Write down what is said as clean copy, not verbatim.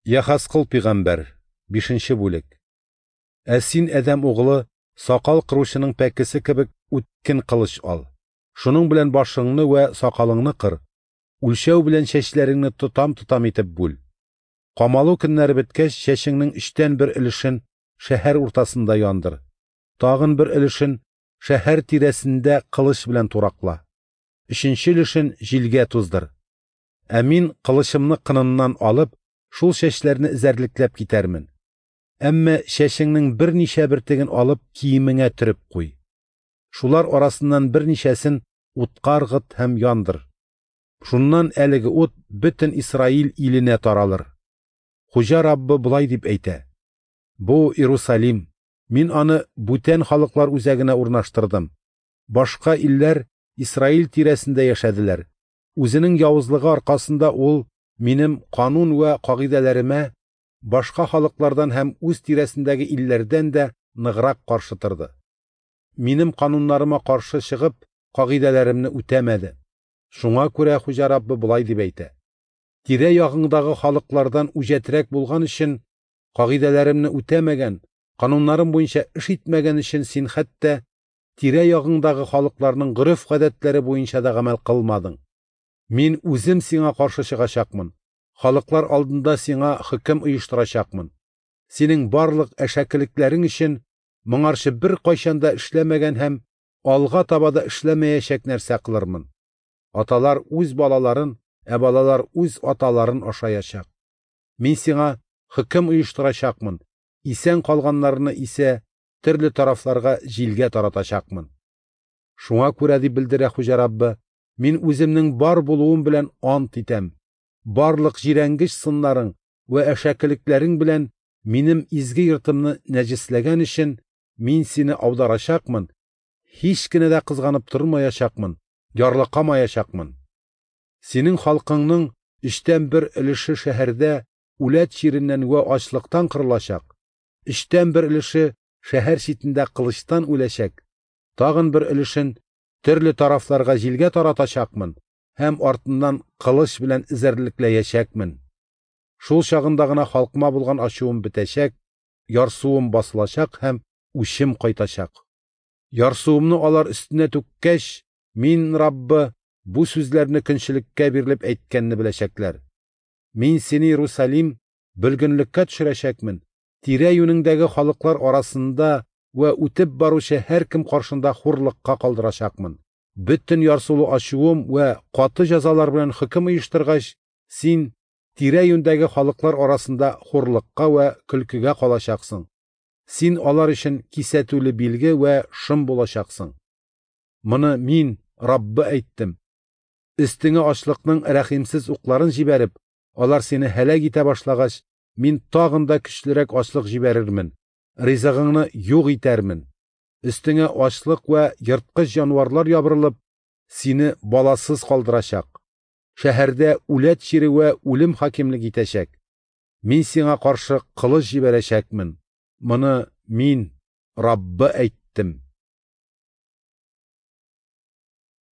Яхазкыл пигамбәр, 5 бүлек. Ә син, адәм угылы, сакал кыручының пәкесе кебек үткен кылыч ал. Шуның белән башыңны вә сакалыңны кыр, үлчәү белән чәчләреңне тотам-тотам итеп бүл. Камалу көннәре беткәч, чәчеңнең өчтән бер өлешен шәһәр уртасында яндыр. Тагын бер өлешен шәһәр тирәсендә кылыч белән туракла. Өченче өлешен җилгә туздыр. Ә мин кылычымны кыныннан алып, шул чәчләрне эзәрлекләп китәрмен. Әмма чәчеңнең берничә бөртеген алып киемеңә төреп куй. Шулар арасыннан берничәсен утка ыргыт һәм яндыр. Шуннан әлеге ут бөтен Исраил иленә таралыр. Хуҗа Раббы болай дип әйтә: Бу Иерусалим, мин аны бүтән халыклар үзәгенә урнаштырдым. Башка илләр Исраил тирәсендә яшәделәр. Үзенең явызлыгы аркасында ул минем канун вә кагыйдәләремә башка халыклардан һәм үз тирәсендәге илләрдән дә ныграк каршы торды. Минем кануннарыма каршы чыгып, кагыйдәләремне үтәмәде. Шуңа күрә Хуҗа Раббы болай дип әйтә: Тирә-ягыңдагы халыклардан үҗәтрәк булган өчен, кагыйдәләремне үтәмәгән, кануннарым буенча эш итмәгән өчен син хәтта тирә-ягыңдагы халыкларның гореф-гадәтләре буенча да гамәл кылмадың. Мин үзем сиңа каршы чыгачакмын. Халыклар алдында сиңа хөкем оештырачакмын. Синең барлык әшәкелекләрең өчен моңарчы беркайчан да эшләмәгән һәм алга таба да эшләмәячәк нәрсә кылырмын. Аталар үз балаларын, ә балалар үз аталарын ашаячак. Мин сиңа хөкем оештырачакмын, исән калганнарны исә төрле тарафларга җилгә таратачакмын. Шуңа күрә, дип белдерә Хуҗа Раббы, мин үземнең бар булуым белән ант итәм. Барлык җирәнгеч сыннарың вә әшәкелекләрең белән минем изге йортымны нәҗесләгән өчен мин сине аударачакмын, һич кенә дә кызганып тормаячакмын, ярлыкамаячакмын. Синең халкыңның өчтән бер өлеше шәһәрдә үләт чиреннән вә ачлыктан кырылачак, өчтән бер өлеше шәһәр читендә кылычтан үләчәк, тагын бер өлешен төрле тарафларга җилгә таратачакмын һәм артыннан кылыч белән эзәрлекләячәкмен. Шул чагында гына халкыма булган ачуым бетәчәк, ярсуым басылачак һәм үчем кайтачак. Ярсуымны алар өстенә түккәч, мин, Раббы, бу сүзләрне көнчелеккә бирелеп әйткәнне беләчәкләр. Мин сине, Иерусалим, бөлгенлеккә төшерәчәкмен, тирә-юнеңдәге халыклар арасында вә үтеп баручы һәркем каршында хурлыкка калдырачакмын. Бөтен ярсулы ачуым вә каты җәзалар белән хөкем оештыргач, син тирә-юньдәге халыклар арасында хурлыкка вә көлкегә калачаксың. Син алар өчен кисәтүле билге вә шым булачаксың. Моны мин, Раббы, әйттем. Өстеңә ачлыкның рәхимсез укларын җибәреп, алар сине һәлак итә башлагач, мин тагын да көчлерәк ачлык җибәрермен, ризыгыңны юк итәрмен. Өстеңә ачлык вә ерткыч җанварлар ябырылып, сине баласыз калдырачак. Шәһәрдә үләт чире вә үлем хакимлек итәчәк. Мин сиңа каршы кылыч җибәрәчәкмен. Моны мин, Раббы, әйттем.